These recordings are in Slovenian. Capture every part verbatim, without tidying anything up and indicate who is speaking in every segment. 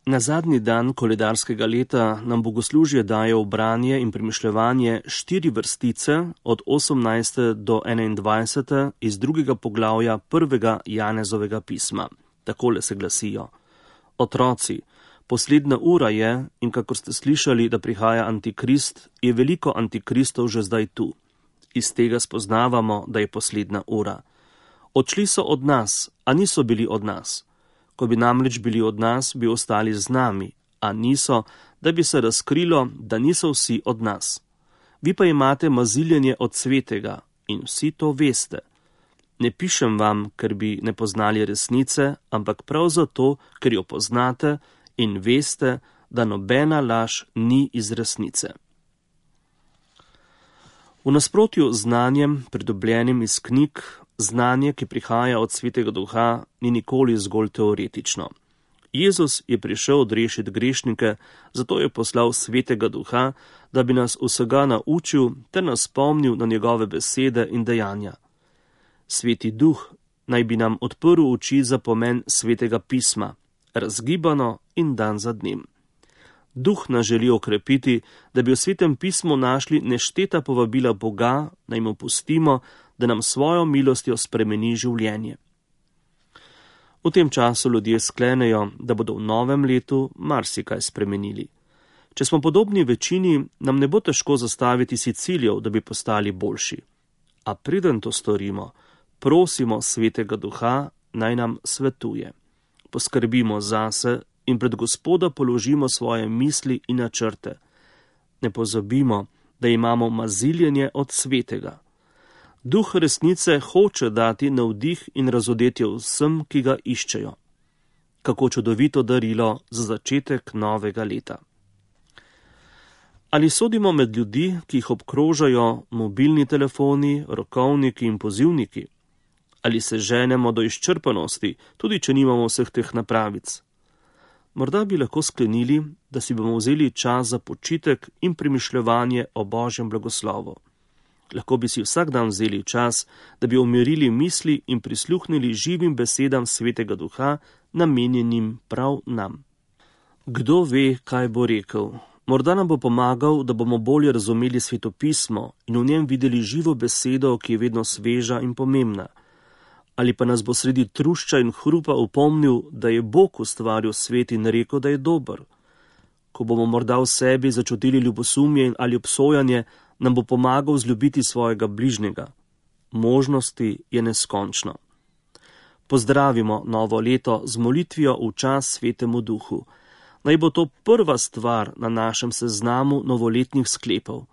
Speaker 1: Na zadnji dan koledarskega leta nam bogoslužje daje v branje in premišljevanje štiri vrstice od osemnajste do enaindvajsete iz drugega poglavja prvega Janezovega pisma. Takole se glasijo: Otroci, poslednja ura je, in kakor ste slišali, da prihaja antikrist, je veliko antikristov že zdaj tu. Iz tega spoznavamo, da je poslednja ura. Odšli so od nas, a niso bili od nas. Ko bi namreč bili od nas, bi ostali z nami, a niso, da bi se razkrilo, da niso vsi od nas. Vi pa imate maziljenje od svetega in vsi to veste. Ne pišem vam, ker bi ne poznali resnice, ampak prav zato, ker jo poznate in veste, da nobena laž ni iz resnice. V nasprotju z znanjem, pridobljenim iz knjig, znanje, ki prihaja od Svetega Duha, ni nikoli zgolj teoretično. Jezus je prišel odrešiti grešnike, zato je poslal Svetega Duha, da bi nas vsega naučil ter nas spomnil na njegove besede in dejanja. Sveti Duh naj bi nam odprl oči za pomen Svetega pisma, razgibano in dan za dnem. Duh nas želi okrepiti, da bi v Svetem pismu našli nešteta povabila Boga, naj mu pustimo, da nam svojo milostjo spremeni življenje. V tem času ljudje sklenejo, da bodo v novem letu marsikaj spremenili. Če smo podobni večini, nam ne bo težko zastaviti si ciljev, da bi postali boljši. A preden to storimo, prosimo Svetega Duha, naj nam svetuje. Poskrbimo zase in pred Gospoda položimo svoje misli in načrte. Ne pozabimo, da imamo maziljenje od Svetega. Duh resnice hoče dati navdih in razodetje vsem, ki ga iščejo. Kako čudovito darilo za začetek novega leta. Ali sodimo med ljudi, ki jih obkrožajo mobilni telefoni, rokovniki in pozivniki? Ali se ženemo do izčrpanosti, tudi če nimamo vseh teh napravic? Morda bi lahko sklenili, da si bomo vzeli čas za počitek in premišljevanje o Božjem blagoslovu. Lahko bi si vsak dan vzeli čas, da bi umirili misli in prisluhnili živim besedam Svetega Duha, namenjenim prav nam. Kdo ve, kaj bo rekel? Morda nam bo pomagal, da bomo bolje razumeli svetopismo in v njem videli živo besedo, ki je vedno sveža in pomembna. Ali pa nas bo sredi trušča in hrupa upomnil, da je Bog ustvaril svet in rekel, da je dober. Ko bomo morda v sebi začutili ljubosumje ali obsojanje, nam bo pomagal vzljubiti svojega bližnjega. Možnosti je neskončno. Pozdravimo novo leto z molitvijo v čas Svetemu Duhu. Naj bo to prva stvar na našem seznamu novoletnih sklepov,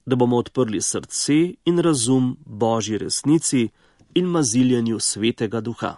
Speaker 1: da bomo odprli srce in razum Božji resnici in maziljenju Svetega Duha.